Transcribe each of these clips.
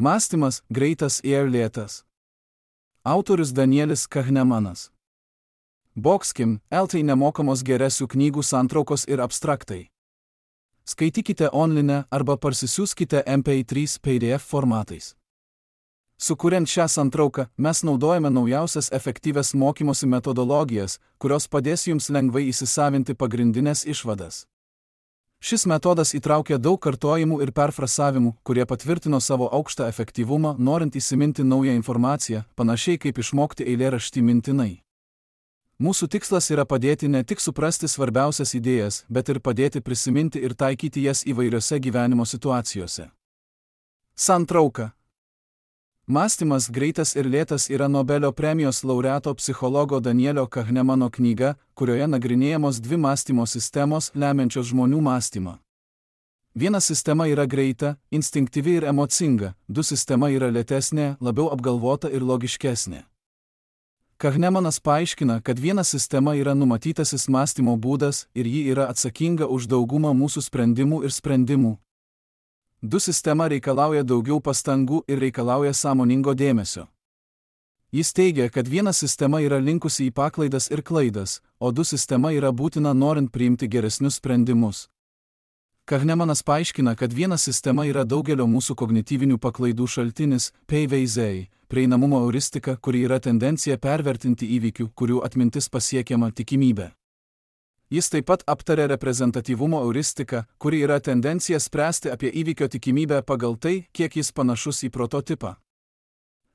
Mąstymas greitas ir lėtas. Autorius Danielis Kahnemanas. Boxkim, LT nemokamos geresių knygų santraukos ir abstraktai. Skaitykite online arba parsisiųskite MP3 PDF formatais. Sukuriant šią santrauką, mes naudojame naujausias efektyvias mokymosi metodologijas, kurios padės jums lengvai įsisavinti pagrindinės išvadas. Šis metodas įtraukia daug kartojimų ir perfrasavimų, kurie patvirtino savo aukštą efektyvumą, norint įsiminti naują informaciją, panašiai kaip išmokti eilėraštį mintinai. Mūsų tikslas yra padėti ne tik suprasti svarbiausias idėjas, bet ir padėti prisiminti ir taikyti jas įvairiose gyvenimo situacijose. Santrauka. Mąstymas greitas ir lėtas yra Nobelio premijos laureato psichologo Danielio Kahnemano knyga, kurioje nagrinėjamos dvi mąstymo sistemos, lemiančios žmonių mąstymą. Viena sistema yra greita, instinktyvi ir emocinga, du sistema yra lėtesnė, labiau apgalvota ir logiškesnė. Kahnemanas paaiškina, kad viena sistema yra numatytasis mąstymo būdas ir ji yra atsakinga už daugumą mūsų sprendimų ir sprendimų. Du sistema reikalauja daugiau pastangų ir reikalauja sąmoningo dėmesio. Jis teigia, kad viena sistema yra linkusi į paklaidas ir klaidas, o du sistema yra būtina norint priimti geresnius sprendimus. Kahnemanas paaiškina, kad viena sistema yra daugelio mūsų kognityvinių paklaidų šaltinis, PVZ, prieinamumo euristika, kuri yra tendencija pervertinti įvykių, kurių atmintis pasiekiama tikimybė. Jis taip pat aptarė reprezentatyvumo euristiką, kuri yra tendencija spręsti apie įvykio tikimybę pagal tai, kiek jis panašus į prototipą.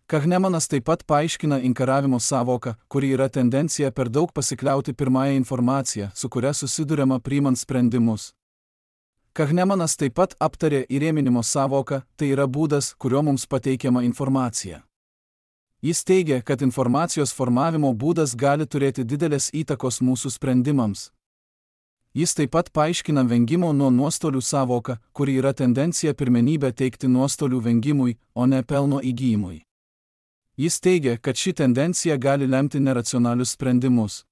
Kahnemanas taip pat paaiškina inkaravimo sąvoką, kuri yra tendencija per daug pasikliauti pirmąją informaciją, su kuria susiduriama priimant sprendimus. Kahnemanas taip pat aptarė įrėminimo sąvoką, tai yra būdas, kuriuo mums pateikiama informacija. Jis teigia, kad informacijos formavimo būdas gali turėti didelės įtakos mūsų sprendimams. Jis taip pat paaiškina vengimo nuo nuostolių sąvoką, kuri yra tendencija pirmenybę teikti nuostolių vengimui, o ne pelno įgyjimui. Jis teigia, kad ši tendencija gali lemti neracionalius sprendimus.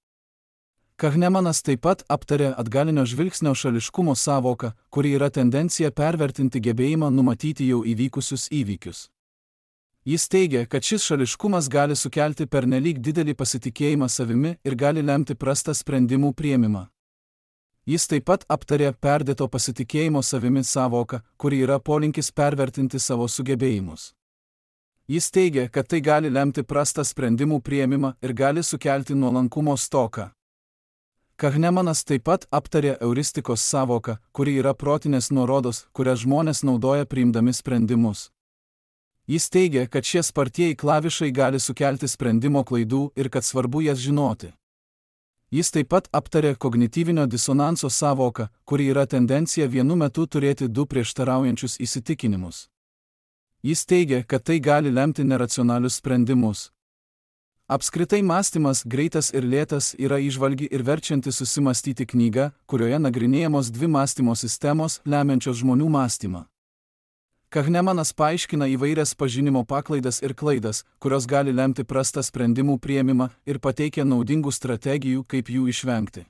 Kahnemanas taip pat aptarė atgalinio žvilgsnio šališkumo sąvoką, kuri yra tendencija pervertinti gebėjimą numatyti jau įvykusius įvykius. Jis teigia, kad šis šališkumas gali sukelti pernelyg didelį pasitikėjimą savimi ir gali lemti prastą sprendimų priėmimą. Jis taip pat aptarė perdėto pasitikėjimo savimi sąvoką, kuri yra polinkis pervertinti savo sugebėjimus. Jis teigia, kad tai gali lemti prastą sprendimų priėmimą ir gali sukelti nuolankumo stoką. Kahnemanas taip pat aptarė euristikos sąvoką, kuri yra protinės nuorodos, kurias žmonės naudoja priimdami sprendimus. Jis teigia, kad šie spartieji klavišai gali sukelti sprendimo klaidų ir kad svarbu jas žinoti. Jis taip pat aptarė kognityvinio disonanso sąvoką, kuri yra tendencija vienu metu turėti du prieštaraujančius įsitikinimus. Jis teigia, kad tai gali lemti neracionalius sprendimus. Apskritai mąstymas greitas ir lėtas yra įžvalgi ir verčianti susimastyti knyga, kurioje nagrinėjamos dvi mąstymo sistemos, lemiančios žmonių mąstymą. Kahnemanas paaiškina įvairias pažinimo paklaidas ir klaidas, kurios gali lemti prastą sprendimų priėmimą ir pateikia naudingų strategijų, kaip jų išvengti.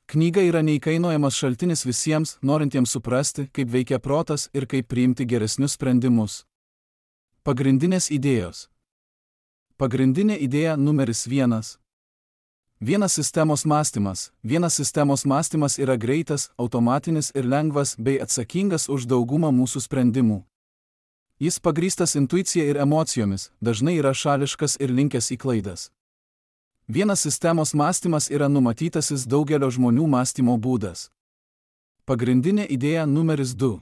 Knyga yra neįkainojamas šaltinis visiems, norintiems suprasti, kaip veikia protas ir kaip priimti geresnius sprendimus. Pagrindinės idėjos. Pagrindinė idėja numeris 1. Vienas sistemos mąstymas. Vienas sistemos mąstymas yra greitas, automatinis ir lengvas bei atsakingas už daugumą mūsų sprendimų. Jis pagrįstas intuicija ir emocijomis, dažnai yra šališkas ir linkęs į klaidas. Vienas sistemos mąstymas yra numatytasis daugelio žmonių mąstymo būdas. Pagrindinė idėja numeris 2.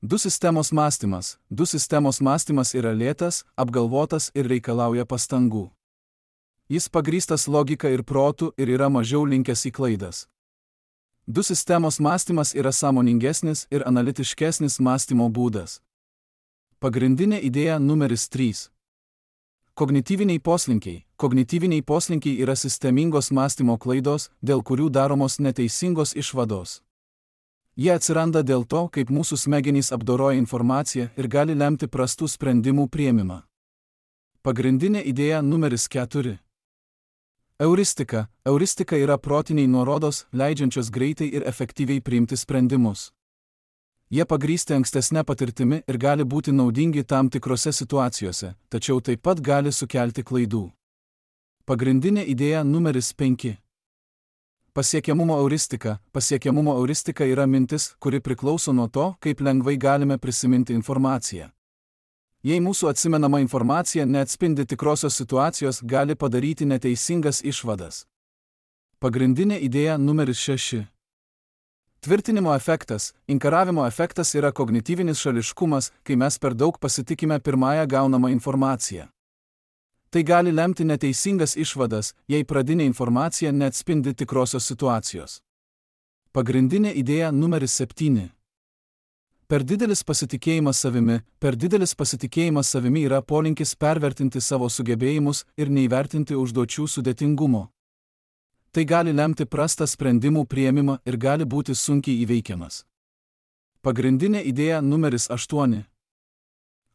Du sistemos mąstymas. Du sistemos mąstymas yra lėtas, apgalvotas ir reikalauja pastangų. Jis pagrįstas logika ir protu ir yra mažiau linkęs į klaidas. Du sistemos mąstymas yra sąmoningesnis ir analitiškesnis mąstymo būdas. Pagrindinė idėja numeris 3. Kognityviniai poslinkiai. Kognityviniai poslinkiai yra sistemingos mąstymo klaidos, dėl kurių daromos neteisingos išvados. Jie atsiranda dėl to, kaip mūsų smegenys apdoroja informaciją ir gali lemti prastų sprendimų priėmimą. Pagrindinė idėja numeris 4. Euristika. Euristika yra protiniai nuorodos, leidžiančios greitai ir efektyviai priimti sprendimus. Jie pagrįsti ankstesnė patirtimi ir gali būti naudingi tam tikrose situacijose, tačiau taip pat gali sukelti klaidų. Pagrindinė idėja numeris 5. Pasiekiamumo euristika. Pasiekiamumo euristika yra mintis, kuri priklauso nuo to, kaip lengvai galime prisiminti informaciją. Jei mūsų atsimenama informacija neatspindi tikrosios situacijos, gali padaryti neteisingas išvadas. Pagrindinė idėja numeris 6. Tvirtinimo efektas. Inkaravimo efektas yra kognityvinis šališkumas, kai mes per daug pasitikime pirmąją gaunamą informaciją. Tai gali lemti neteisingas išvadas, jei pradinė informacija neatspindi tikrosios situacijos. Pagrindinė idėja numeris 7. Per didelis pasitikėjimas savimi. Per didelis pasitikėjimas savimi yra polinkis pervertinti savo sugebėjimus ir neįvertinti užduočių sudėtingumo. Tai gali lemti prastą sprendimų priėmimą ir gali būti sunkiai įveikiamas. Pagrindinė idėja numeris 8.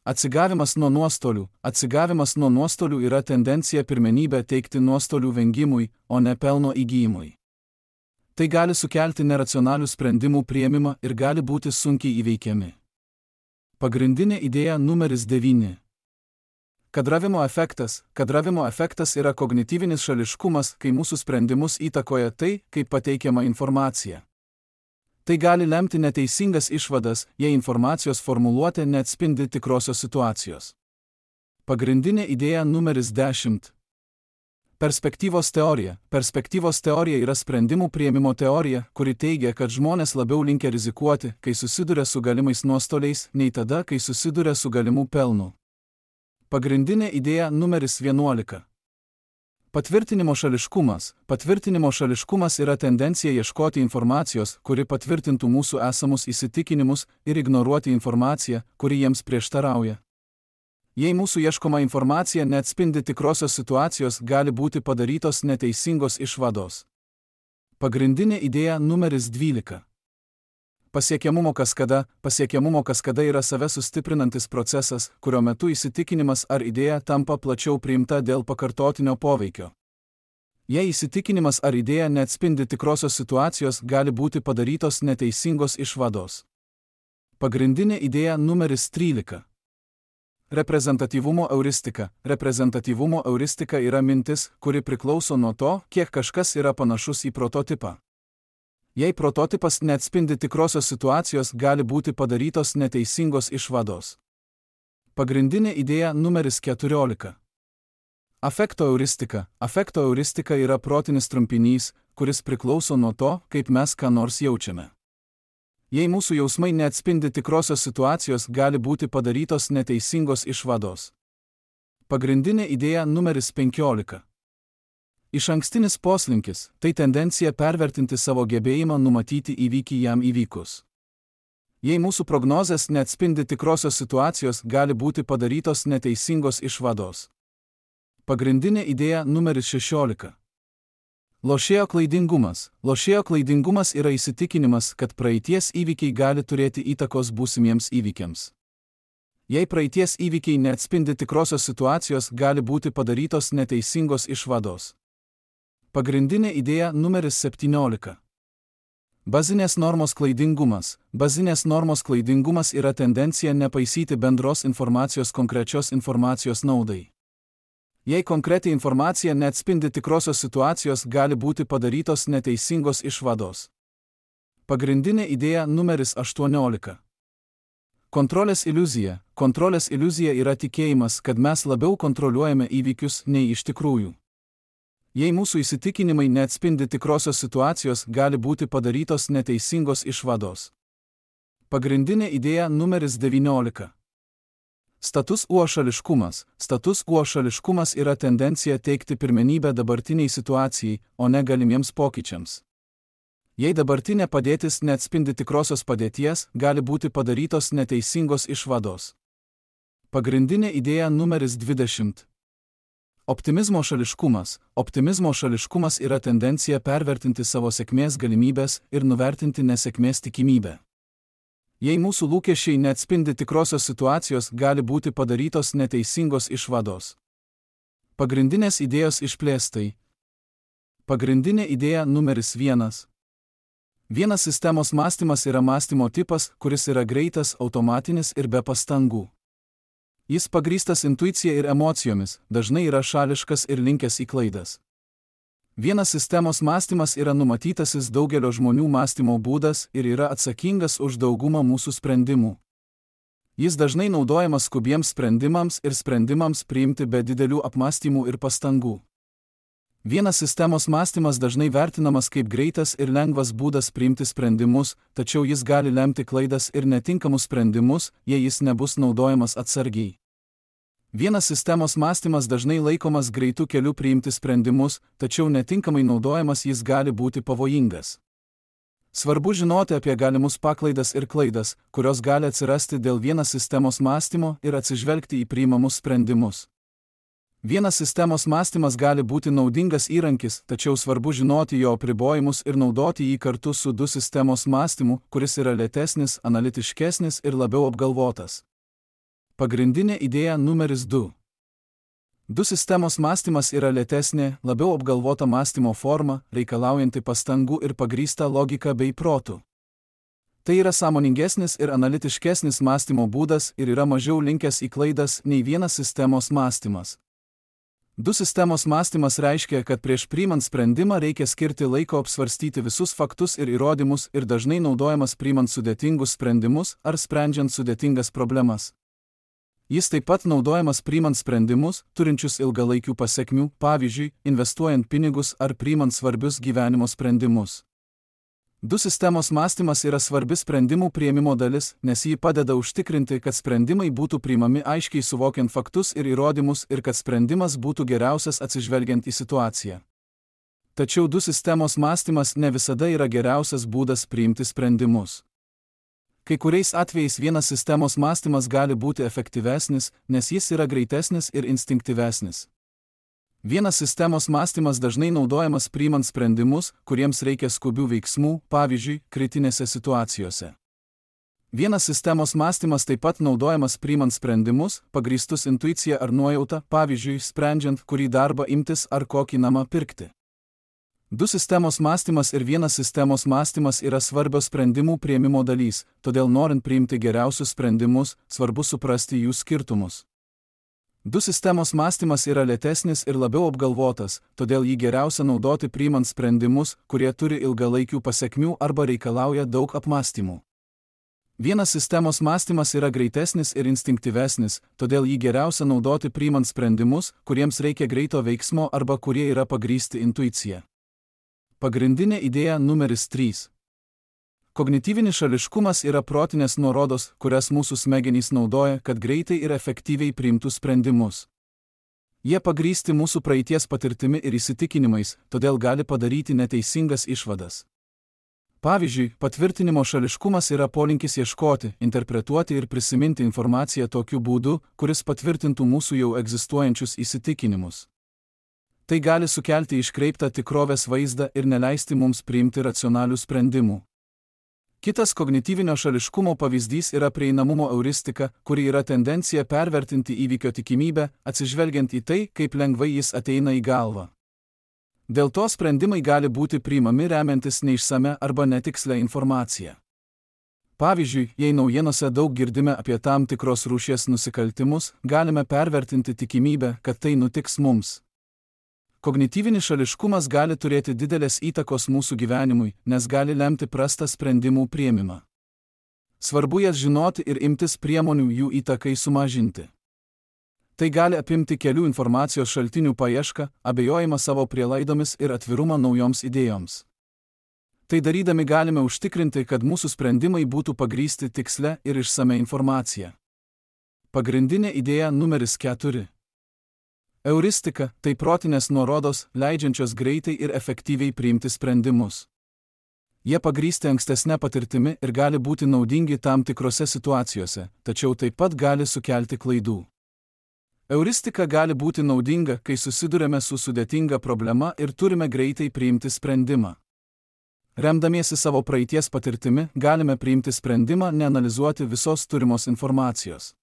Atsigavimas nuo nuostolių. Atsigavimas nuo nuostolių yra tendencija pirmenybę teikti nuostolių vengimui, o ne pelno įgyjimui. Tai gali sukelti neracionalių sprendimų priėmimą ir gali būti sunkiai įveikiami. Pagrindinė idėja numeris 9. Kadravimo efektas. Kadravimo efektas yra kognityvinis šališkumas, kai mūsų sprendimus įtakoja tai, kaip pateikiama informacija. Tai gali lemti neteisingas išvadas, jei informacijos formuluotė neatspindi tikrosios situacijos. Pagrindinė idėja numeris 10. Perspektyvos teorija. Perspektyvos teorija yra sprendimų priėmimo teorija, kuri teigia, kad žmonės labiau linkę rizikuoti, kai susiduria su galimais nuostoliais, nei tada, kai susiduria su galimu pelnu. Pagrindinė idėja numeris 11. Patvirtinimo šališkumas. Patvirtinimo šališkumas yra tendencija ieškoti informacijos, kuri patvirtintų mūsų esamus įsitikinimus, ir ignoruoti informaciją, kuri jiems prieštarauja. Jei mūsų ieškoma informacija neatspindi tikrosios situacijos, gali būti padarytos neteisingos išvados. Pagrindinė idėja numeris 12. Pasiekiamumo kaskada. Pasiekiamumo kaskada yra save sustiprinantis procesas, kurio metu įsitikinimas ar idėja tampa plačiau priimta dėl pakartotinio poveikio. Jei įsitikinimas ar idėja neatspindi tikrosios situacijos, gali būti padarytos neteisingos išvados. Pagrindinė idėja numeris 13. Reprezentatyvumo euristika. Reprezentatyvumo euristika yra mintis, kuri priklauso nuo to, kiek kažkas yra panašus į prototipą. Jei prototipas neatspindi tikrosios situacijos, gali būti padarytos neteisingos išvados. Pagrindinė idėja numeris 14. Afekto euristika. Afekto euristika yra protinis trumpinys, kuris priklauso nuo to, kaip mes ką nors jaučiame. Jei mūsų jausmai neatspindi tikrosios situacijos, gali būti padarytos neteisingos išvados. Pagrindinė idėja numeris 15. Išankstinis poslinkis – tai tendencija pervertinti savo gebėjimą numatyti įvykį jam įvykus. Jei mūsų prognozės neatspindi tikrosios situacijos, gali būti padarytos neteisingos išvados. Pagrindinė idėja numeris 16. Lošėjo klaidingumas. Lošėjo klaidingumas yra įsitikinimas, kad praeities įvykiai gali turėti įtakos būsimiems įvykiams. Jei praeities įvykiai neatspindi tikrosios situacijos, gali būti padarytos neteisingos išvados. Pagrindinė idėja numeris 17. Bazinės normos klaidingumas. Bazinės normos klaidingumas yra tendencija nepaisyti bendros informacijos konkrečios informacijos naudai. Jei konkreti informacija neatspindi tikrosios situacijos, gali būti padarytos neteisingos išvados. Pagrindinė idėja numeris 18. Kontrolės iliuzija. Kontrolės iliuzija yra tikėjimas, kad mes labiau kontroliuojame įvykius nei iš tikrųjų. Jei mūsų įsitikinimai neatspindi tikrosios situacijos, gali būti padarytos neteisingos išvados. Pagrindinė idėja numeris 19. Status quo šališkumas. Status quo šališkumas yra tendencija teikti pirmenybę dabartiniai situacijai, o ne galimiems pokyčiams. Jei dabartinė padėtis neatspindi tikrosios padėties, gali būti padarytos neteisingos išvados. Pagrindinė idėja numeris 20. Optimizmo šališkumas. Optimizmo šališkumas yra tendencija pervertinti savo sėkmės galimybės ir nuvertinti nesėkmės tikimybę. Jei mūsų lūkesčiai neatspindi tikrosios situacijos, gali būti padarytos neteisingos išvados. Pagrindinės idėjos išplėstai. Pagrindinė idėja numeris 1. Vienas sistemos mąstymas yra mąstymo tipas, kuris yra greitas, automatinis ir be pastangų. Jis pagrįstas intuicija ir emocijomis, dažnai yra šališkas ir linkęs į klaidas. Vienas sistemos mąstymas yra numatytasis daugelio žmonių mąstymo būdas ir yra atsakingas už daugumą mūsų sprendimų. Jis dažnai naudojamas skubiems sprendimams ir sprendimams priimti be didelių apmąstymų ir pastangų. Vienas sistemos mąstymas dažnai vertinamas kaip greitas ir lengvas būdas priimti sprendimus, tačiau jis gali lemti klaidas ir netinkamus sprendimus, jei jis nebus naudojamas atsargiai. Vienas sistemos mąstymas dažnai laikomas greitų kelių priimti sprendimus, tačiau netinkamai naudojamas jis gali būti pavojingas. Svarbu žinoti apie galimus paklaidas ir klaidas, kurios gali atsirasti dėl vienas sistemos mąstymo ir atsižvelgti į priimamus sprendimus. Vienas sistemos mąstymas gali būti naudingas įrankis, tačiau svarbu žinoti jo apribojimus ir naudoti jį kartu su du sistemos mąstymu, kuris yra lėtesnis, analitiškesnis ir labiau apgalvotas. Pagrindinė idėja numeris 2. Du sistemos mąstymas yra lėtesnė, labiau apgalvota mąstymo forma, reikalaujanti pastangų ir pagrįsta logika bei protu. Tai yra sąmoningesnis ir analitiškesnis mąstymo būdas ir yra mažiau linkęs į klaidas nei vienas sistemos mąstymas. Du sistemos mąstymas reiškia, kad prieš priimant sprendimą reikia skirti laiko apsvarstyti visus faktus ir įrodymus ir dažnai naudojamas priimant sudėtingus sprendimus ar sprendžiant sudėtingas problemas. Jis taip pat naudojamas priimant sprendimus, turinčius ilgalaikių pasekmių, pavyzdžiui, investuojant pinigus ar priimant svarbius gyvenimo sprendimus. Du sistemos mąstymas yra svarbi sprendimų priėmimo dalis, nes jį padeda užtikrinti, kad sprendimai būtų priimami aiškiai suvokiant faktus ir įrodymus ir kad sprendimas būtų geriausias atsižvelgiant į situaciją. Tačiau du sistemos mąstymas ne visada yra geriausias būdas priimti sprendimus. Kai kuriais atvejais vienas sistemos mąstymas gali būti efektyvesnis, nes jis yra greitesnis ir instinktyvesnis. Vienas sistemos mąstymas dažnai naudojamas priimant sprendimus, kuriems reikia skubių veiksmų, pavyzdžiui, kritinėse situacijose. Vienas sistemos mąstymas taip pat naudojamas priimant sprendimus, pagrįstus intuicija ar nuojauta, pavyzdžiui, sprendžiant, kurį darbą imtis ar kokį namą pirkti. Du sistemos mąstymas ir vienas sistemos mąstymas yra svarbios sprendimų priėmimo dalys, todėl norint priimti geriausius sprendimus, svarbu suprasti jų skirtumus. Du sistemos mąstymas yra lėtesnis ir labiau apgalvotas, todėl jį geriausia naudoti priimant sprendimus, kurie turi ilgalaikių pasekmių arba reikalauja daug apmąstymų. Vienas sistemos mąstymas yra greitesnis ir instinktyvesnis, todėl jį geriausia naudoti priimant sprendimus, kuriems reikia greito veiksmo arba kurie yra pagrįsti intuicija. Pagrindinė idėja numeris 3. Kognityvinis šališkumas yra protinės nuorodos, kurias mūsų smegenys naudoja, kad greitai ir efektyviai priimtų sprendimus. Jie pagrįsti mūsų praeities patirtimi ir įsitikinimais, todėl gali padaryti neteisingas išvadas. Pavyzdžiui, patvirtinimo šališkumas yra polinkis ieškoti, interpretuoti ir prisiminti informaciją tokiu būdu, kuris patvirtintų mūsų jau egzistuojančius įsitikinimus. Tai gali sukelti iškreiptą tikrovės vaizdą ir neleisti mums priimti racionalių sprendimų. Kitas kognityvinio šališkumo pavyzdys yra prieinamumo euristika, kuri yra tendencija pervertinti įvykio tikimybę, atsižvelgiant į tai, kaip lengvai jis ateina į galvą. Dėl to sprendimai gali būti priimami remiantis neišsame arba netikslę informaciją. Pavyzdžiui, jei naujienose daug girdime apie tam tikros rūšies nusikaltimus, galime pervertinti tikimybę, kad tai nutiks mums. Kognityvinis šališkumas gali turėti didelės įtakos mūsų gyvenimui, nes gali lemti prastą sprendimų priėmimą. Svarbu jas žinoti ir imtis priemonių jų įtakai sumažinti. Tai gali apimti kelių informacijos šaltinių paiešką, abejojimą savo prielaidomis ir atvirumą naujoms idėjoms. Tai darydami galime užtikrinti, kad mūsų sprendimai būtų pagrįsti tiksle ir išsame informacija. Pagrindinė idėja numeris 4. Euristika – tai protinės nuorodos, leidžiančios greitai ir efektyviai priimti sprendimus. Jie pagrįsti ankstesnę patirtimi ir gali būti naudingi tam tikrose situacijose, tačiau taip pat gali sukelti klaidų. Euristika gali būti naudinga, kai susidurėme su sudėtinga problema ir turime greitai priimti sprendimą. Remdamiesi savo praeities patirtimi, galime priimti sprendimą, neanalizuoti visos turimos informacijos.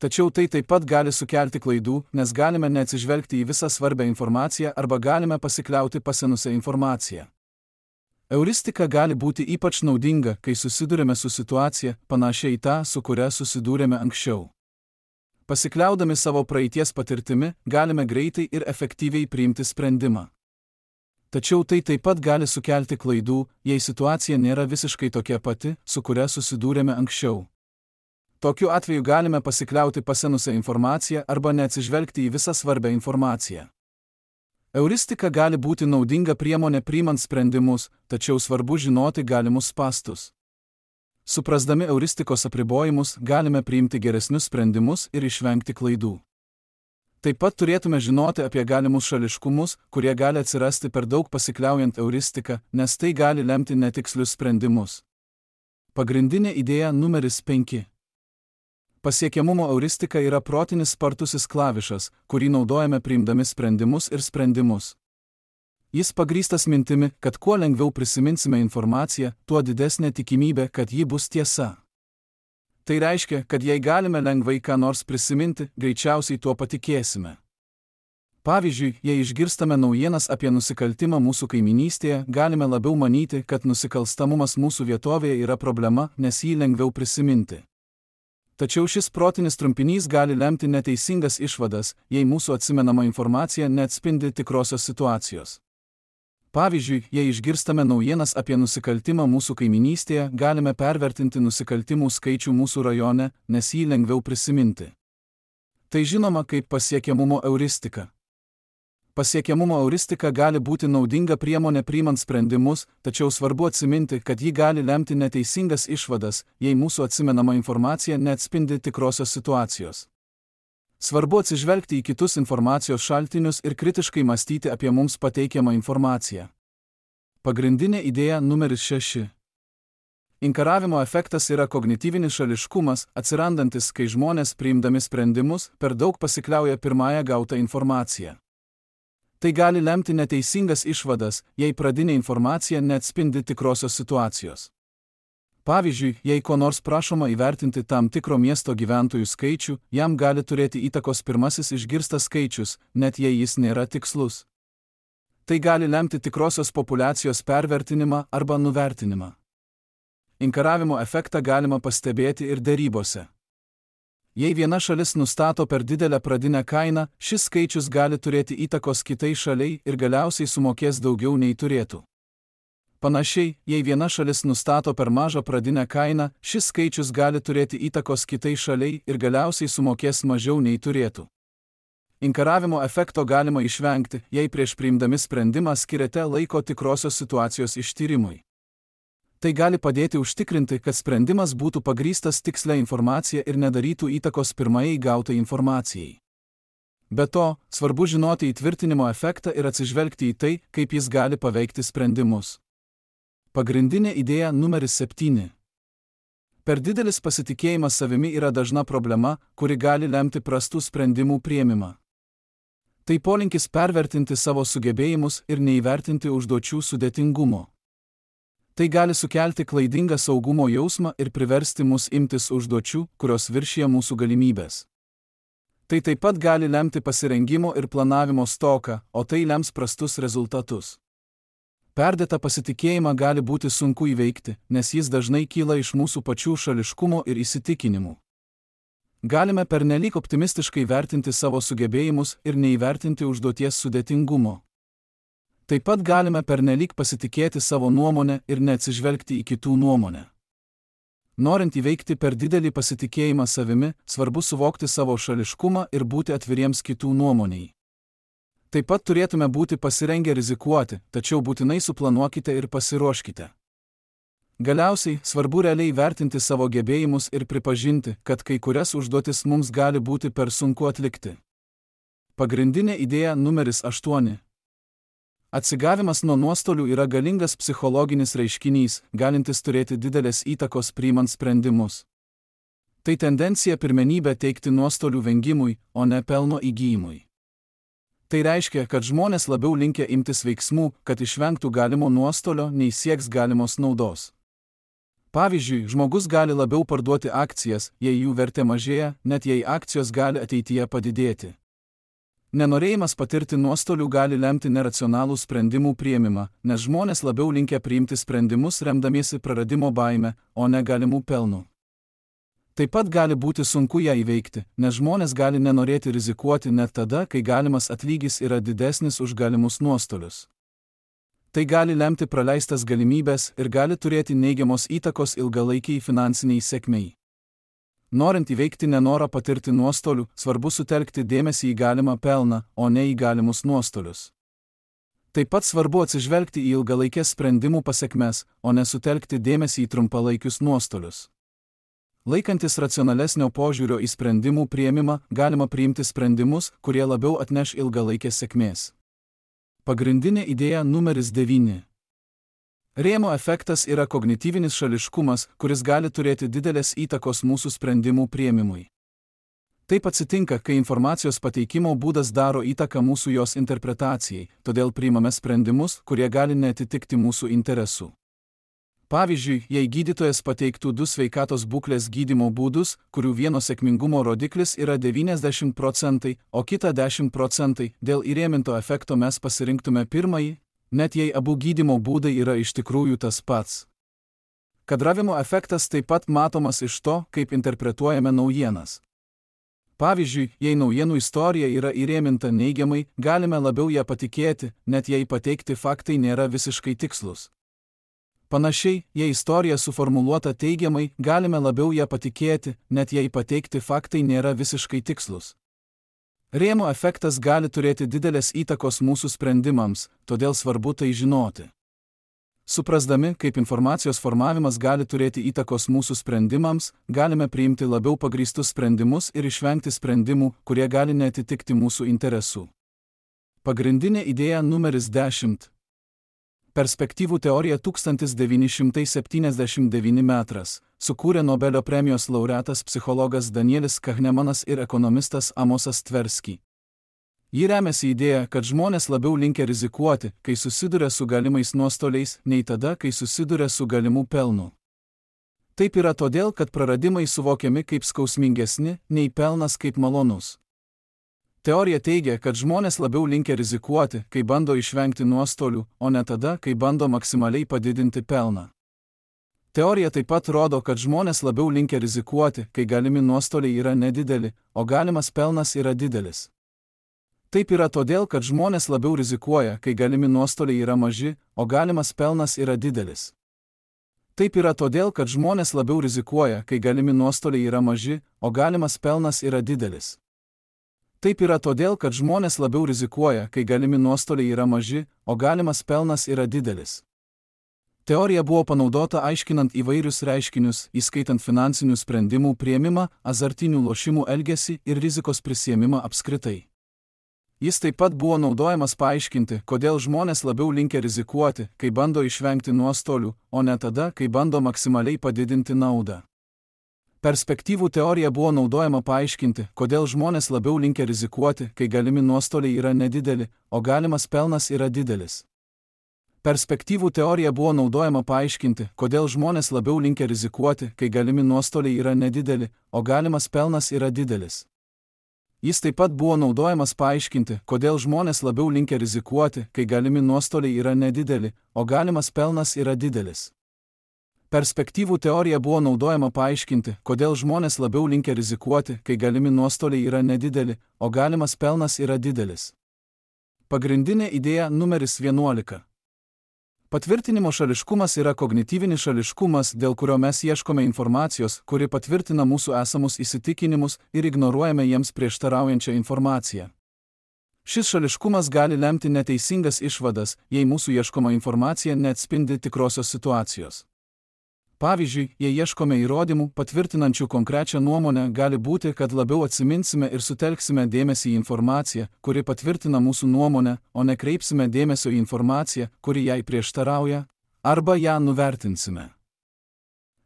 Tačiau tai taip pat gali sukelti klaidų, nes galime neatsižvelgti į visą svarbę informaciją arba galime pasikliauti pasenusią informaciją. Euristika gali būti ypač naudinga, kai susidurėme su situacija, panašia į tą, su kuria susidūrėme anksčiau. Pasikliaudami savo praeities patirtimi, galime greitai ir efektyviai priimti sprendimą. Tačiau tai taip pat gali sukelti klaidų, jei situacija nėra visiškai tokia pati, su kuria susidūrėme anksčiau. Tokiu atveju galime pasikliauti pasenusią informaciją arba neatsižvelgti į visą svarbią informaciją. Euristika gali būti naudinga priemonė priimant sprendimus, tačiau svarbu žinoti galimus spąstus. Suprasdami euristikos apribojimus, galime priimti geresnius sprendimus ir išvengti klaidų. Taip pat turėtume žinoti apie galimus šališkumus, kurie gali atsirasti per daug pasikliaujant euristiką, nes tai gali lemti netikslius sprendimus. Pagrindinė idėja numeris 5. Pasiekiamumo euristika yra protinis spartusis klavišas, kurį naudojame priimdami sprendimus ir sprendimus. Jis pagrįstas mintimi, kad kuo lengviau prisiminsime informaciją, tuo didesnė tikimybė, kad ji bus tiesa. Tai reiškia, kad jei galime lengvai ką nors prisiminti, greičiausiai tuo patikėsime. Pavyzdžiui, jei išgirstame naujienas apie nusikaltimą mūsų kaiminystėje, galime labiau manyti, kad nusikalstamumas mūsų vietovėje yra problema, nes jį lengviau prisiminti. Tačiau šis protinis trumpinys gali lemti neteisingas išvadas, jei mūsų atsimenama informacija neatspindi tikrosios situacijos. Pavyzdžiui, jei išgirstame naujienas apie nusikaltimą mūsų kaiminystėje, galime pervertinti nusikaltimų skaičių mūsų rajone, nes jį lengviau prisiminti. Tai žinoma kaip pasiekiamumo euristika. Pasiekiamumo euristika gali būti naudinga priemonė priimant sprendimus, tačiau svarbu atsiminti, kad ji gali lemti neteisingas išvadas, jei mūsų atsimenama informacija neatspindi tikrosios situacijos. Svarbu atsižvelgti į kitus informacijos šaltinius ir kritiškai mąstyti apie mums pateikiamą informaciją. Pagrindinė idėja numeris 6. Inkaravimo efektas yra kognityvinis šališkumas, atsirandantis, kai žmonės priimdami sprendimus per daug pasikliauja pirmąją gautą informaciją. Tai gali lemti neteisingas išvadas, jei pradinė informacija neatspindi tikrosios situacijos. Pavyzdžiui, jei ko nors prašoma įvertinti tam tikro miesto gyventojų skaičių, jam gali turėti įtakos pirmasis išgirstas skaičius, net jei jis nėra tikslus. Tai gali lemti tikrosios populiacijos pervertinimą arba nuvertinimą. Inkaravimo efektą galima pastebėti ir derybose. Jei viena šalis nustato per didelę pradinę kainą, šis skaičius gali turėti įtakos kitai šaliai ir galiausiai sumokės daugiau nei turėtų. Panašiai, jei viena šalis nustato per mažą pradinę kainą, šis skaičius gali turėti įtakos kitai šaliai ir galiausiai sumokės mažiau nei turėtų. Inkaravimo efekto galima išvengti, jei prieš priimdami sprendimą skiriate laiko tikrosios situacijos ištyrimui. Tai gali padėti užtikrinti, kad sprendimas būtų pagrįstas tikslia informacija ir nedarytų įtakos pirmajai gautai informacijai. Be to, svarbu žinoti įtvirtinimo efektą ir atsižvelgti į tai, kaip jis gali paveikti sprendimus. Pagrindinė idėja numeris 7. Per didelis pasitikėjimas savimi yra dažna problema, kuri gali lemti prastų sprendimų priėmimą. Tai polinkis pervertinti savo sugebėjimus ir neįvertinti užduočių sudėtingumo. Tai gali sukelti klaidingą saugumo jausmą ir priversti mus imtis užduočių, kurios viršija mūsų galimybės. Tai taip pat gali lemti pasirengimo ir planavimo stoką, o tai lems prastus rezultatus. Perdėtą pasitikėjimą gali būti sunku įveikti, nes jis dažnai kyla iš mūsų pačių šališkumo ir įsitikinimų. Galime pernelyg optimistiškai vertinti savo sugebėjimus ir neįvertinti užduoties sudėtingumo. Taip pat galime pernelyg pasitikėti savo nuomonę ir neatsižvelgti į kitų nuomonę. Norint įveikti per didelį pasitikėjimą savimi, svarbu suvokti savo šališkumą ir būti atviriems kitų nuomoniai. Taip pat turėtume būti pasirengę rizikuoti, tačiau būtinai suplanuokite ir pasiruoškite. Galiausiai, svarbu realiai vertinti savo gebėjimus ir pripažinti, kad kai kurias užduotis mums gali būti per sunku atlikti. Pagrindinė idėja numeris 8. Atsigavimas nuo nuostolių yra galingas psichologinis reiškinys, galintis turėti didelės įtakos priimant sprendimus. Tai tendencija pirmenybę teikti nuostolių vengimui, o ne pelno įgyjimui. Tai reiškia, kad žmonės labiau linkę imtis veiksmų, kad išvengtų galimo nuostolio, nei sieks galimos naudos. Pavyzdžiui, žmogus gali labiau parduoti akcijas, jei jų vertė mažėja, net jei akcijos gali ateityje padidėti. Nenorėjimas patirti nuostolių gali lemti neracionalų sprendimų priėmimą, nes žmonės labiau linkę priimti sprendimus remdamiesi praradimo baime, o ne galimų pelnų. Taip pat gali būti sunku ją įveikti, nes žmonės gali nenorėti rizikuoti net tada, kai galimas atlygis yra didesnis už galimus nuostolius. Tai gali lemti praleistas galimybės ir gali turėti neigiamos įtakos ilgalaikiai finansiniai sėkmei. Norint įveikti nenorą patirti nuostolių, svarbu sutelkti dėmesį į galimą pelną, o ne į galimus nuostolius. Taip pat svarbu atsižvelgti į ilgalaikės sprendimų pasekmes, o ne sutelkti dėmesį į trumpalaikius nuostolius. Laikantis racionalesnio požiūrio į sprendimų priėmimą, galima priimti sprendimus, kurie labiau atneš ilgalaikės sėkmės. Pagrindinė idėja numeris 9. Rėmo efektas yra kognityvinis šališkumas, kuris gali turėti didelės įtakos mūsų sprendimų priėmimui. Taip atsitinka, kai informacijos pateikimo būdas daro įtaką mūsų jos interpretacijai, todėl priimame sprendimus, kurie gali neatitikti mūsų interesų. Pavyzdžiui, jei gydytojas pateiktų 2 sveikatos būklės gydymo būdus, kurių vieno sėkmingumo rodiklis yra 90%, o kita 10%, dėl įrėminto efekto mes pasirinktume pirmąjį, net jei abu gydymo būdai yra iš tikrųjų tas pats. Kadravimo efektas taip pat matomas iš to, kaip interpretuojame naujienas. Pavyzdžiui, jei naujienų istorija yra įrėminta neigiamai, galime labiau ją patikėti, net jei pateikti faktai nėra visiškai tikslus. Panašiai, jei istorija suformuluota teigiamai, galime labiau ją patikėti, net jei pateikti faktai nėra visiškai tikslus. Rėmo efektas gali turėti didelės įtakos mūsų sprendimams, todėl svarbu tai žinoti. Suprasdami, kaip informacijos formavimas gali turėti įtakos mūsų sprendimams, galime priimti labiau pagrįstus sprendimus ir išvengti sprendimų, kurie gali neatitikti mūsų interesų. Pagrindinė idėja numeris 10. Perspektyvų teorija 1979 metras sukūrė Nobelio premijos laureatas psichologas Danielis Kahnemanas ir ekonomistas Amosas Tversky. Ji remiasi idėja, kad žmonės labiau linkę rizikuoti, kai susiduria su galimais nuostoliais, nei tada, kai susiduria su galimu pelnu. Taip yra todėl, kad praradimai suvokiami kaip skausmingesni, nei pelnas kaip malonus. Teorija teigia, kad žmonės labiau linkę rizikuoti, kai bando išvengti nuostolių, o ne tada, kai bando maksimaliai padidinti pelną. Teorija taip pat rodo, kad žmonės labiau linkę rizikuoti, kai galimi nuostoliai yra nedideli, o galimas pelnas yra didelis. Taip yra todėl, kad žmonės labiau rizikuoja, kai galimi nuostoliai yra maži, o galimas pelnas yra didelis. Taip yra todėl, kad žmonės labiau rizikuoja, kai galimi nuostoliai yra maži, o galimas pelnas yra didelis. Taip yra todėl, kad žmonės labiau rizikuoja, kai galimi nuostoliai yra maži, o galimas pelnas yra didelis. Teorija buvo panaudota aiškinant įvairius reiškinius, įskaitant finansinių sprendimų priėmimą, azartinių lošimų elgesį ir rizikos prisiėmimą apskritai. Jis taip pat buvo naudojamas paaiškinti, kodėl žmonės labiau linkę rizikuoti, kai bando išvengti nuostolių, o ne tada, kai bando maksimaliai padidinti naudą. Perspektyvų teorija buvo naudojama paaiškinti, kodėl žmonės labiau linkę rizikuoti, kai galimi nuostoliai yra nedideli, o galimas pelnas yra didelis. Perspektyvų teorija buvo naudojama paaiškinti, kodėl žmonės labiau linkę rizikuoti, kai galimi nuostoliai yra nedideli, o galimas pelnas yra didelis. Jis taip pat buvo naudojamas paaiškinti, kodėl žmonės labiau linkę rizikuoti, kai galimi nuostoliai yra nedideli, o galimas pelnas yra didelis. Perspektyvų teorija buvo naudojama paaiškinti, kodėl žmonės labiau linkę rizikuoti, kai galimi nuostoliai yra nedideli, o galimas pelnas yra didelis. Pagrindinė idėja numeris 11. Patvirtinimo šališkumas yra kognityvinis šališkumas, dėl kurio mes ieškome informacijos, kuri patvirtina mūsų esamus įsitikinimus ir ignoruojame jiems prieštaraujančią informaciją. Šis šališkumas gali lemti neteisingas išvadas, jei mūsų ieškoma informacija neatspindi tikrosios situacijos. Pavyzdžiui, jei ieškome įrodymų, patvirtinančių konkrečią nuomonę, gali būti, kad labiau atsiminsime ir sutelksime dėmesį į informaciją, kuri patvirtina mūsų nuomonę, o nekreipsime dėmesio į informaciją, kuri jai prieštarauja, arba ją nuvertinsime.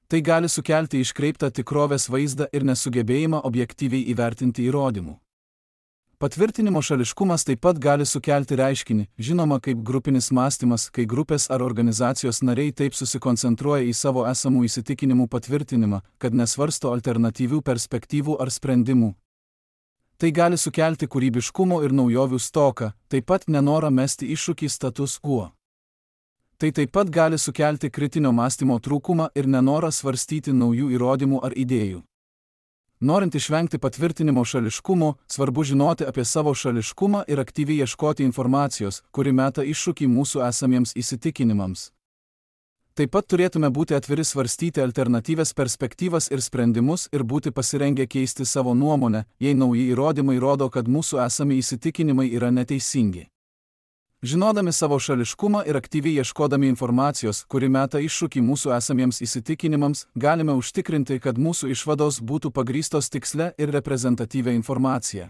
Tai gali sukelti iškreiptą tikrovės vaizdą ir nesugebėjimą objektyviai įvertinti įrodymų. Patvirtinimo šališkumas taip pat gali sukelti reiškinį, žinoma kaip grupinis mąstymas, kai grupės ar organizacijos nariai taip susikoncentruoja į savo esamų įsitikinimų patvirtinimą, kad nesvarsto alternatyvių perspektyvų ar sprendimų. Tai gali sukelti kūrybiškumo ir naujovių stoką, taip pat nenorą mesti iššūkį status quo. Tai taip pat gali sukelti kritinio mąstymo trūkumą ir nenorą svarstyti naujų įrodymų ar idėjų. Norint išvengti patvirtinimo šališkumo, svarbu žinoti apie savo šališkumą ir aktyviai ieškoti informacijos, kuri meta iššūkį mūsų esamiems įsitikinimams. Taip pat turėtume būti atviri svarstyti alternatyvias perspektyvas ir sprendimus ir būti pasirengę keisti savo nuomonę, jei nauji įrodymai rodo, kad mūsų esami įsitikinimai yra neteisingi. Žinodami savo šališkumą ir aktyviai ieškodami informacijos, kuri meta iššūkį mūsų esamiems įsitikinimams, galime užtikrinti, kad mūsų išvados būtų pagrįstos tikslia ir reprezentatyvia informacija.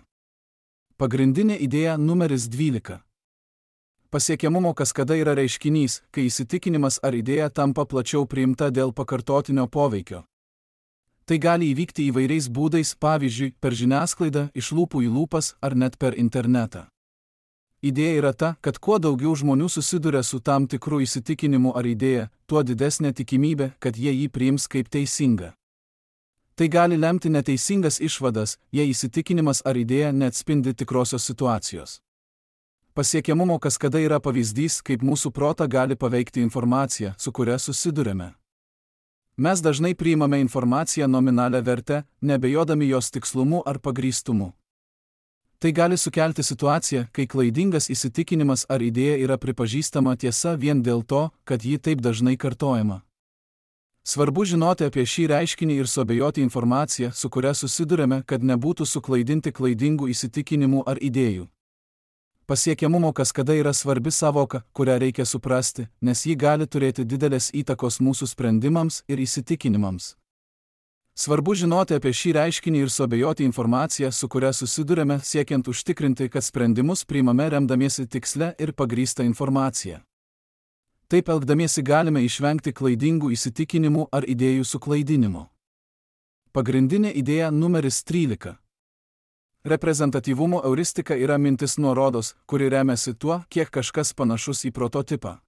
Pagrindinė idėja numeris 12. Pasiekiamumo kaskada yra reiškinys, kai įsitikinimas ar idėja tampa plačiau priimta dėl pakartotinio poveikio. Tai gali įvykti įvairiais būdais, pavyzdžiui, per žiniasklaidą, iš lūpų į lūpas ar net per internetą. Idėja yra ta, kad kuo daugiau žmonių susiduria su tam tikru įsitikinimu ar idėja, tuo didesnė tikimybė, kad jie jį priims kaip teisingą. Tai gali lemti neteisingas išvadas, jei įsitikinimas ar idėja neatspindi tikrosios situacijos. Pasiekiamumo kaskada yra pavyzdys, kaip mūsų protą gali paveikti informacija, su kuria susiduriame. Mes dažnai priimame informaciją nominalią vertę, nebejodami jos tikslumu ar pagrįstumu. Tai gali sukelti situaciją, kai klaidingas įsitikinimas ar idėja yra pripažįstama tiesa vien dėl to, kad ji taip dažnai kartojama. Svarbu žinoti apie šį reiškinį ir suabejoti informaciją, su kuria susidurėme, kad nebūtų suklaidinti klaidingų įsitikinimų ar idėjų. Pasiekiamumo kaskada yra svarbi savoka, kurią reikia suprasti, nes ji gali turėti didelės įtakos mūsų sprendimams ir įsitikinimams. Svarbu žinoti apie šį reiškinį ir suabejoti informaciją, su kuria susidurėme, siekiant užtikrinti, kad sprendimus priimame remdamiesi tikslia ir pagrįsta informacija. Taip elgdamiesi galime išvengti klaidingų įsitikinimų ar idėjų suklaidinimo. Pagrindinė idėja numeris 13. Reprezentatyvumo euristika yra mintis nuorodos, kuri remiasi tuo, kiek kažkas panašus į prototipą.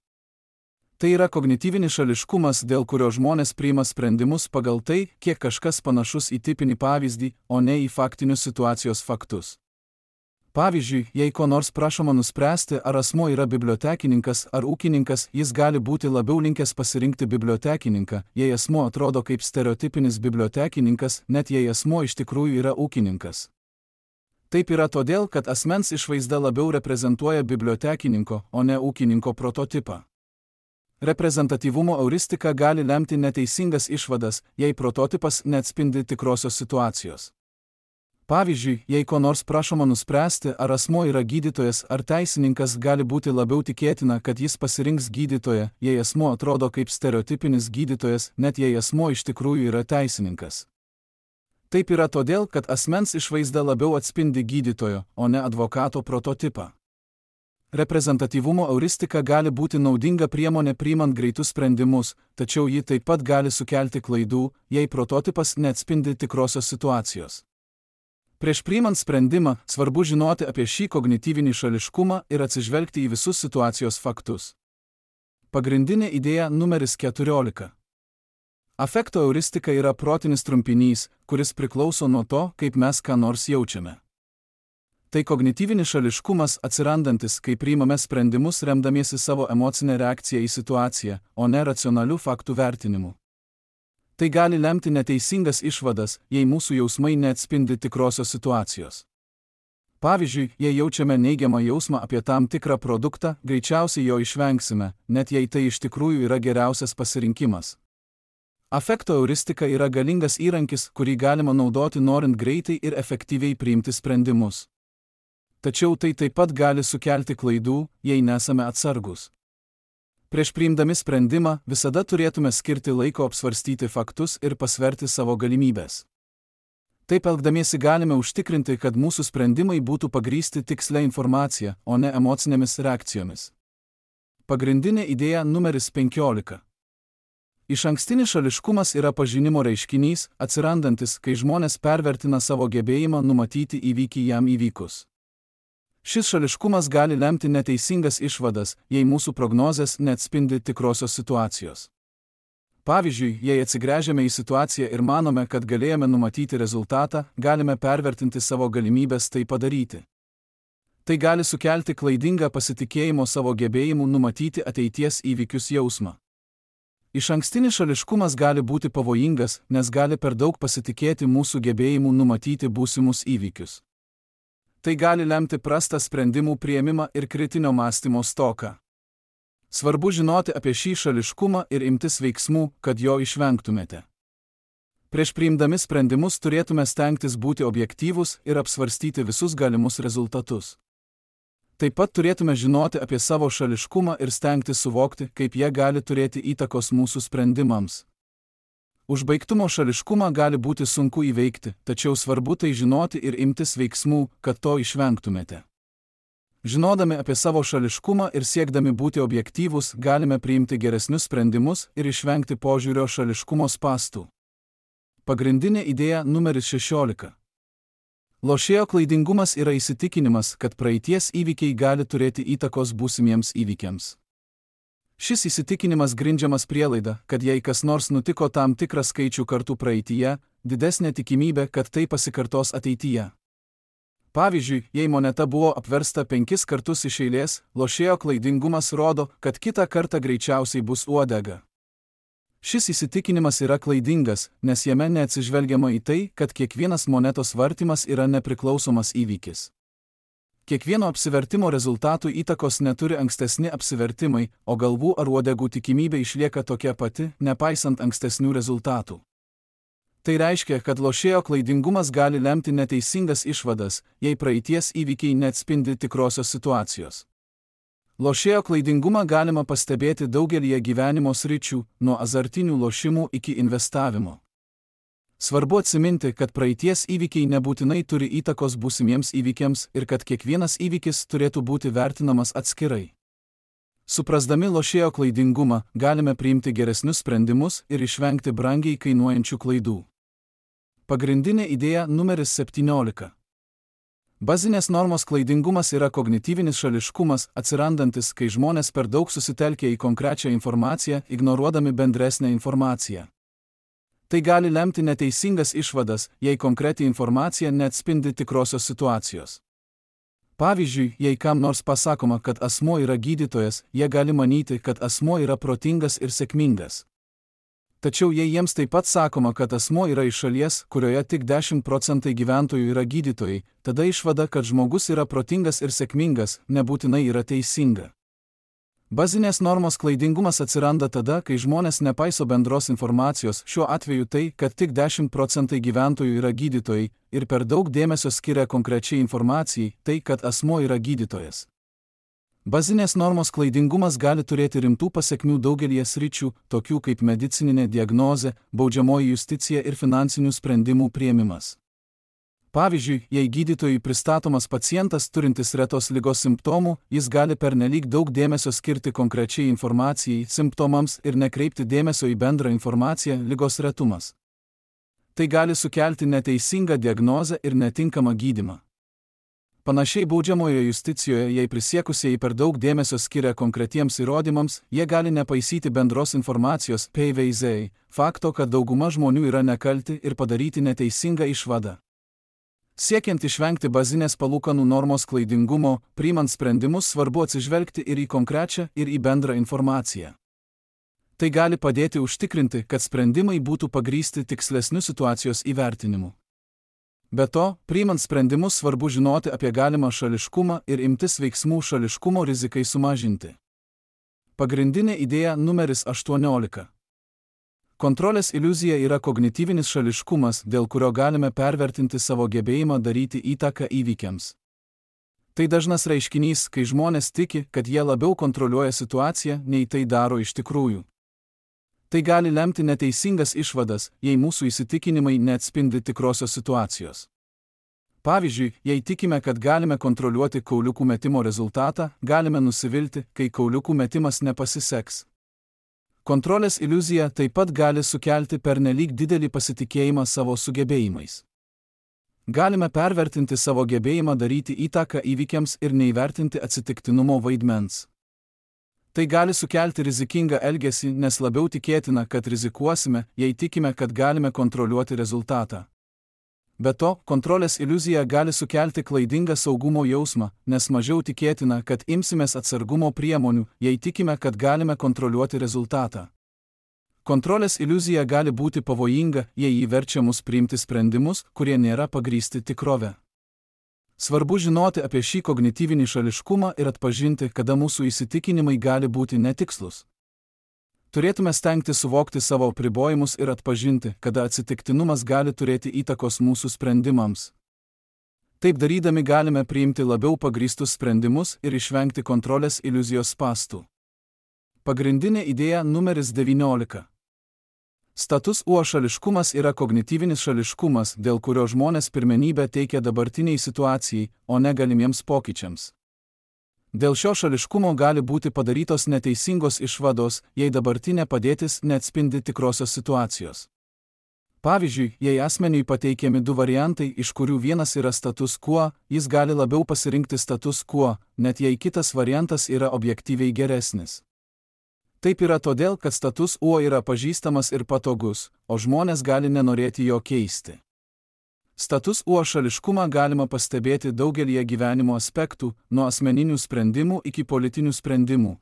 Tai yra kognityvinis šališkumas, dėl kurio žmonės priima sprendimus pagal tai, kiek kažkas panašus į tipinį pavyzdį, o ne į faktinius situacijos faktus. Pavyzdžiui, jei ko nors prašoma nuspręsti, ar asmuo yra bibliotekininkas ar ūkininkas, jis gali būti labiau linkęs pasirinkti bibliotekininką, jei asmuo atrodo kaip stereotipinis bibliotekininkas, net jei asmuo iš tikrųjų yra ūkininkas. Taip yra todėl, kad asmens išvaizda labiau reprezentuoja bibliotekininko, o ne ūkininko prototipą. Reprezentatyvumo euristika gali lemti neteisingas išvadas, jei prototipas neatspindi tikrosios situacijos. Pavyzdžiui, jei ko nors prašoma nuspręsti, ar asmuo yra gydytojas ar teisininkas, gali būti labiau tikėtina, kad jis pasirinks gydytoją, jei asmuo atrodo kaip stereotipinis gydytojas, net jei asmuo iš tikrųjų yra teisininkas. Taip yra todėl, kad asmens išvaizda labiau atspindi gydytojo, o ne advokato prototipą. Reprezentatyvumo euristika gali būti naudinga priemonė priimant greitus sprendimus, tačiau ji taip pat gali sukelti klaidų, jei prototipas neatspindi tikrosios situacijos. Prieš priimant sprendimą, svarbu žinoti apie šį kognityvinį šališkumą ir atsižvelgti į visus situacijos faktus. Pagrindinė idėja numeris 14. Afekto euristika yra protinis trumpinys, kuris priklauso nuo to, kaip mes ką nors jaučiame. Tai kognityvinis šališkumas atsirandantis, kai priimame sprendimus remdamiesi savo emocinę reakciją į situaciją, o ne racionalių faktų vertinimu. Tai gali lemti neteisingas išvadas, jei mūsų jausmai neatspindi tikrosios situacijos. Pavyzdžiui, jei jaučiame neigiamą jausmą apie tam tikrą produktą, greičiausiai jo išvengsime, net jei tai iš tikrųjų yra geriausias pasirinkimas. Afekto euristika yra galingas įrankis, kurį galima naudoti norint greitai ir efektyviai priimti sprendimus. Tačiau tai taip pat gali sukelti klaidų, jei nesame atsargus. Prieš priimdami sprendimą visada turėtume skirti laiko apsvarstyti faktus ir pasverti savo galimybės. Taip elgdamiesi galime užtikrinti, kad mūsų sprendimai būtų pagrįsti tikslia informacija, o ne emocinėmis reakcijomis. Pagrindinė idėja numeris 15. Išankstinis šališkumas yra pažinimo reiškinys, atsirandantis, kai žmonės pervertina savo gebėjimą numatyti įvykį jam įvykus. Šis šališkumas gali lemti neteisingas išvadas, jei mūsų prognozės neatspindi tikrosios situacijos. Pavyzdžiui, jei atsigręžiame į situaciją ir manome, kad galėjome numatyti rezultatą, galime pervertinti savo galimybės tai padaryti. Tai gali sukelti klaidingą pasitikėjimo savo gebėjimu numatyti ateities įvykius jausmą. Išankstinis šališkumas gali būti pavojingas, nes gali per daug pasitikėti mūsų gebėjimu numatyti būsimus įvykius. Tai gali lemti prastą sprendimų priėmimą ir kritinio mąstymo stoką. Svarbu žinoti apie šį šališkumą ir imtis veiksmų, kad jo išvengtumėte. Prieš priimdami sprendimus turėtume stengtis būti objektyvūs ir apsvarstyti visus galimus rezultatus. Taip pat turėtume žinoti apie savo šališkumą ir stengtis suvokti, kaip jie gali turėti įtakos mūsų sprendimams. Užbaigtumo šališkumą gali būti sunku įveikti, tačiau svarbu tai žinoti ir imtis veiksmų, kad to išvengtumėte. Žinodami apie savo šališkumą ir siekdami būti objektyvūs, galime priimti geresnius sprendimus ir išvengti požiūrio šališkumo spąstų. Pagrindinė idėja numeris 16. Lošėjo klaidingumas yra įsitikinimas, kad praeities įvykiai gali turėti įtakos būsimiems įvykiams. Šis įsitikinimas grindžiamas prielaida, kad jei kas nors nutiko tam tikrą skaičių kartų praeityje, didesnė tikimybė, kad tai pasikartos ateityje. Pavyzdžiui, jei moneta buvo apversta 5 kartus iš eilės, lošėjo klaidingumas rodo, kad kitą kartą greičiausiai bus uodega. Šis įsitikinimas yra klaidingas, nes jame neatsižvelgiama į tai, kad kiekvienas monetos vartymas yra nepriklausomas įvykis. Kiekvieno apsivertimo rezultatų įtakos neturi ankstesni apsivertimai, o galvų ar uodegų tikimybė išlieka tokia pati, nepaisant ankstesnių rezultatų. Tai reiškia, kad lošėjo klaidingumas gali lemti neteisingas išvadas, jei praeities įvykiai neatspindi tikrosios situacijos. Lošėjo klaidingumą galima pastebėti daugelyje gyvenimo sričių, nuo azartinių lošimų iki investavimo. Svarbu atsiminti, kad praeities įvykiai nebūtinai turi įtakos būsimiems įvykiams ir kad kiekvienas įvykis turėtų būti vertinamas atskirai. Suprasdami lošėjo klaidingumą, galime priimti geresnius sprendimus ir išvengti brangiai kainuojančių klaidų. Pagrindinė idėja numeris 17. Bazinės normos klaidingumas yra kognityvinis šališkumas, atsirandantis, kai žmonės per daug susitelkia į konkrečią informaciją, ignoruodami bendresnę informaciją. Tai gali lemti neteisingas išvadas, jei konkreti informacija neatspindi tikrosios situacijos. Pavyzdžiui, jei kam nors pasakoma, kad asmuo yra gydytojas, jie gali manyti, kad asmuo yra protingas ir sėkmingas. Tačiau jei jiems taip pat sakoma, kad asmuo yra iš šalies, kurioje tik 10% gyventojų yra gydytojai, tada išvada, kad žmogus yra protingas ir sėkmingas, nebūtinai yra teisinga. Bazinės normos klaidingumas atsiranda tada, kai žmonės nepaiso bendros informacijos, šiuo atveju tai, kad tik 10% gyventojų yra gydytojai, ir per daug dėmesio skiria konkrečiai informacijai, tai, kad asmuo yra gydytojas. Bazinės normos klaidingumas gali turėti rimtų pasekmių daugelyje sričių, tokių kaip medicininė diagnozė, baudžiamoji justicija ir finansinių sprendimų priėmimas. Pavyzdžiui, jei gydytojui pristatomas pacientas turintis retos ligos simptomų, jis gali pernelyg daug dėmesio skirti konkrečiai informacijai, simptomams ir nekreipti dėmesio į bendrą informaciją, ligos retumas. Tai gali sukelti neteisingą diagnozę ir netinkamą gydymą. Panašiai baudžiamojoje justicijoje, jei prisiekusieji per daug dėmesio skiria konkretiems įrodymams, jie gali nepaisyti bendros informacijos, PVZ, fakto, kad dauguma žmonių yra nekalti ir padaryti neteisingą išvadą. Siekiant išvengti bazinės palūkanų normos klaidingumo, priimant sprendimus svarbu atsižvelgti ir į konkrečią, ir į bendrą informaciją. Tai gali padėti užtikrinti, kad sprendimai būtų pagrįsti tikslesniu situacijos įvertinimu. Be to, priimant sprendimus svarbu žinoti apie galimą šališkumą ir imtis veiksmų šališkumo rizikai sumažinti. Pagrindinė idėja numeris 18. Kontrolės iliuzija yra kognityvinis šališkumas, dėl kurio galime pervertinti savo gebėjimą daryti įtaką įvykiams. Tai dažnas reiškinys, kai žmonės tiki, kad jie labiau kontroliuoja situaciją, nei tai daro iš tikrųjų. Tai gali lemti neteisingas išvadas, jei mūsų įsitikinimai neatspindi tikrosios situacijos. Pavyzdžiui, jei tikime, kad galime kontroliuoti kauliukų metimo rezultatą, galime nusivilti, kai kauliukų metimas nepasiseks. Kontrolės iliuzija taip pat gali sukelti pernelyg didelį pasitikėjimą savo sugebėjimais. Galime pervertinti savo gebėjimą daryti įtaką įvykiams ir neįvertinti atsitiktinumo vaidmens. Tai gali sukelti rizikingą elgesį, nes labiau tikėtina, kad rizikuosime, jei tikime, kad galime kontroliuoti rezultatą. Be to, kontrolės iliuzija gali sukelti klaidingą saugumo jausmą, nes mažiau tikėtina, kad imsimės atsargumo priemonių, jei tikime, kad galime kontroliuoti rezultatą. Kontrolės iliuzija gali būti pavojinga, jei ji verčia mus priimti sprendimus, kurie nėra pagrįsti tikrove. Svarbu žinoti apie šį kognityvinį šališkumą ir atpažinti, kada mūsų įsitikinimai gali būti netikslus. Turėtume stengti suvokti savo apribojimus ir atpažinti, kada atsitiktinumas gali turėti įtakos mūsų sprendimams. Taip darydami galime priimti labiau pagrįstus sprendimus ir išvengti kontrolės iliuzijos spąstų. Pagrindinė idėja numeris 19. Status quo šališkumas yra kognityvinis šališkumas, dėl kurio žmonės pirmenybę teikia dabartiniai situacijai, o ne galimiems pokyčiams. Dėl šio šališkumo gali būti padarytos neteisingos išvados, jei dabartinė padėtis neatspindi tikrosios situacijos. Pavyzdžiui, jei asmeniui pateikiami du variantai, iš kurių vienas yra status quo, jis gali labiau pasirinkti status quo, net jei kitas variantas yra objektyviai geresnis. Taip yra todėl, kad status quo yra pažįstamas ir patogus, o žmonės gali nenorėti jo keisti. Status quo šališkumą galima pastebėti daugelyje gyvenimo aspektų, nuo asmeninių sprendimų iki politinių sprendimų.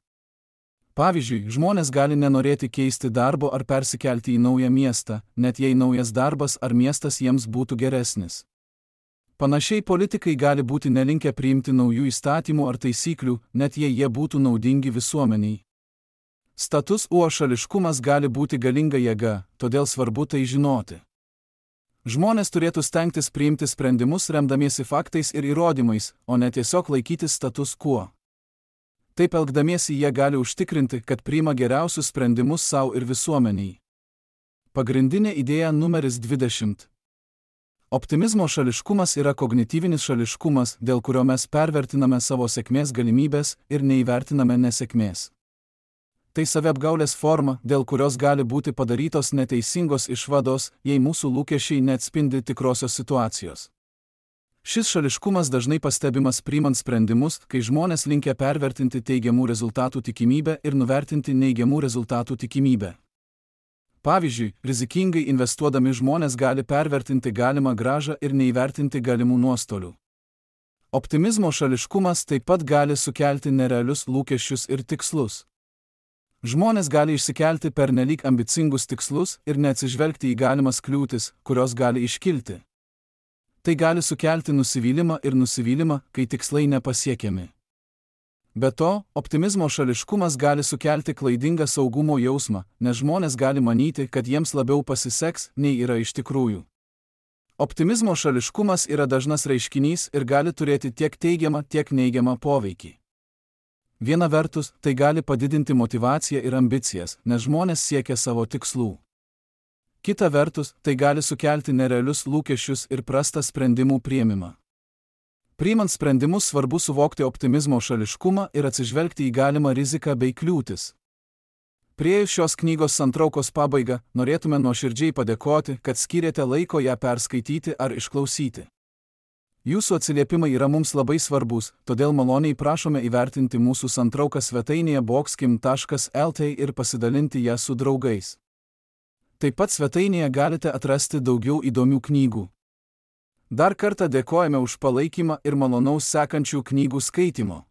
Pavyzdžiui, žmonės gali nenorėti keisti darbo ar persikelti į naują miestą, net jei naujas darbas ar miestas jiems būtų geresnis. Panašiai politikai gali būti nelinkę priimti naujų įstatymų ar taisyklių, net jei jie būtų naudingi visuomeniai. Status quo šališkumas gali būti galinga jėga, todėl svarbu tai žinoti. Žmonės turėtų stengtis priimti sprendimus remdamiesi faktais ir įrodymais, o ne tiesiog laikytis status quo. Taip elgdamiesi jie gali užtikrinti, kad priima geriausius sprendimus savo ir visuomeniai. Pagrindinė idėja numeris 20. Optimizmo šališkumas yra kognityvinis šališkumas, dėl kurio mes pervertiname savo sėkmės galimybės ir neįvertiname nesėkmės. Tai saviapgaulės forma, dėl kurios gali būti padarytos neteisingos išvados, jei mūsų lūkesčiai neatspindi tikrosios situacijos. Šis šališkumas dažnai pastebimas priimant sprendimus, kai žmonės linkę pervertinti teigiamų rezultatų tikimybę ir nuvertinti neigiamų rezultatų tikimybę. Pavyzdžiui, rizikingai investuodami žmonės gali pervertinti galimą grąžą ir neįvertinti galimų nuostolių. Optimizmo šališkumas taip pat gali sukelti nerealius lūkesčius ir tikslus. Žmonės gali išsikelti pernelyg ambicingus tikslus ir neatsižvelgti į galimas kliūtis, kurios gali iškilti. Tai gali sukelti nusivylimą, kai tikslai nepasiekiami. Be to, optimizmo šališkumas gali sukelti klaidingą saugumo jausmą, nes žmonės gali manyti, kad jiems labiau pasiseks, nei yra iš tikrųjų. Optimizmo šališkumas yra dažnas reiškinys ir gali turėti tiek teigiamą, tiek neigiamą poveikį. Viena vertus, tai gali padidinti motyvaciją ir ambicijas, nes žmonės siekia savo tikslų. Kita vertus, tai gali sukelti nerealius lūkesčius ir prastą sprendimų priėmimą. Priimant sprendimus svarbu suvokti optimizmo šališkumą ir atsižvelgti į galimą riziką bei kliūtis. Priėjus šios knygos santraukos pabaigą, norėtume nuoširdžiai padėkoti, kad skyrėte laiko ją perskaityti ar išklausyti. Jūsų atsiliepimai yra mums labai svarbus, todėl maloniai prašome įvertinti mūsų santrauką svetainėje boxkim.lt ir pasidalinti ją su draugais. Taip pat svetainėje galite atrasti daugiau įdomių knygų. Dar kartą dėkojame už palaikymą ir malonaus sekančių knygų skaitimo.